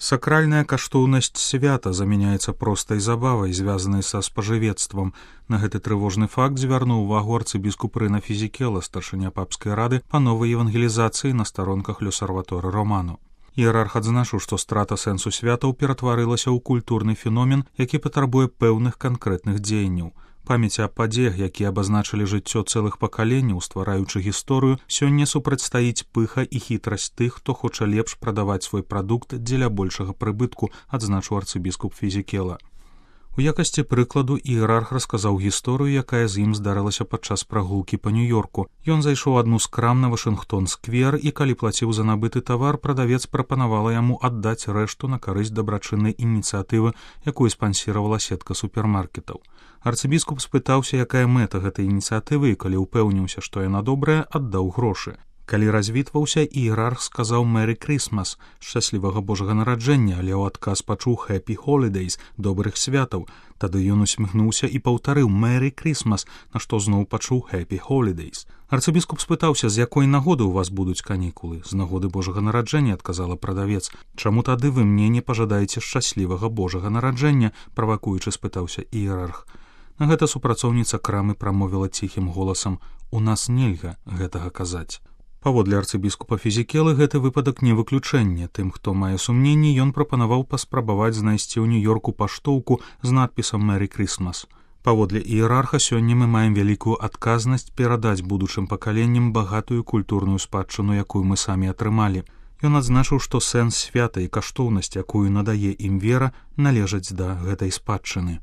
Сакральная каштоўнасць свята заменяецца простай забавай, звязанай са спажывецтвам. На гэты трывожны факт звярнуў увагу арцыбіскуп Рына Фізікела, старшыня папскай рады па новай евангелізацыі на старонках Люсарваторы Романо. Іерарх адзначыў, што страта сэнсу святаў ператварылася ў культурны феномен, які патрабуе пэўных канкрэтных дзеянняў. Памяць аб падзеях, якія абазначылі жыццё цэлых пакаленняў, ствараючы гісторыю, сёння супрацьстаіць пыха і хітрасць тых, хто хоча лепш прадаваць свой прадукт дзеля большага прыбытку, адзначыў арцыбіскуп Фізікела. У якасці прыкладу іерарх расказаў гісторыю, якая з ім здарылася падчас прагулкі па Нью-Йорку. Ён зайшоў адну з крам на Вашынгтон-сквер, і калі плаціў за набыты тавар, прадавец прапанавала яму аддаць рэшту на карысць дабрачыннай ініцыятывы, якую спансіравала сетка супермаркетаў. Арцыбіскуп спытаўся, якая мэта гэтай ініцыятывы, і калі ўпэўніўся, што яна добрая, аддаў грошы. Калі развітваўся, іерарх сказаў «Merry Christmas» – «Шчаслівага Божага нараджэння», але ў адказ пачуў «Happy Holidays» – «Добрых святаў». Тады ён усміхнуўся і паўтарыў «Merry Christmas», на што зноў пачуў «Happy Holidays». Арцыбіскуп спытаўся, з якой нагоды ў вас будуць канікулы. «З нагоды Божага нараджэння», адказала прадавец. «Чаму тады вы мне не пажадаеце шчаслівага Божага нараджэння?» – правакуючы спытаўся іерарх. На гэта супрацоўніца крамы прамовіла ціхім голасам «У нас нельга гэтага казаць». Паводле арцыбіскупа Фізікелы гэты выпадак не выключэнне. Тым, хто мае сумненні, ён прапанаваў паспрабаваць знайсці ў Нью-Йорку паштоўку з надпісам «Merry Christmas». Паводле іерарха сёння мы маем вялікую адказнасць перадаць будучым пакаленням багатую культурную спадчыну, якую мы самі атрымалі. Ён адзначыў, што сэнс свята і каштоўнасць, якую надае ім вера, належаць да гэтай спадчыны.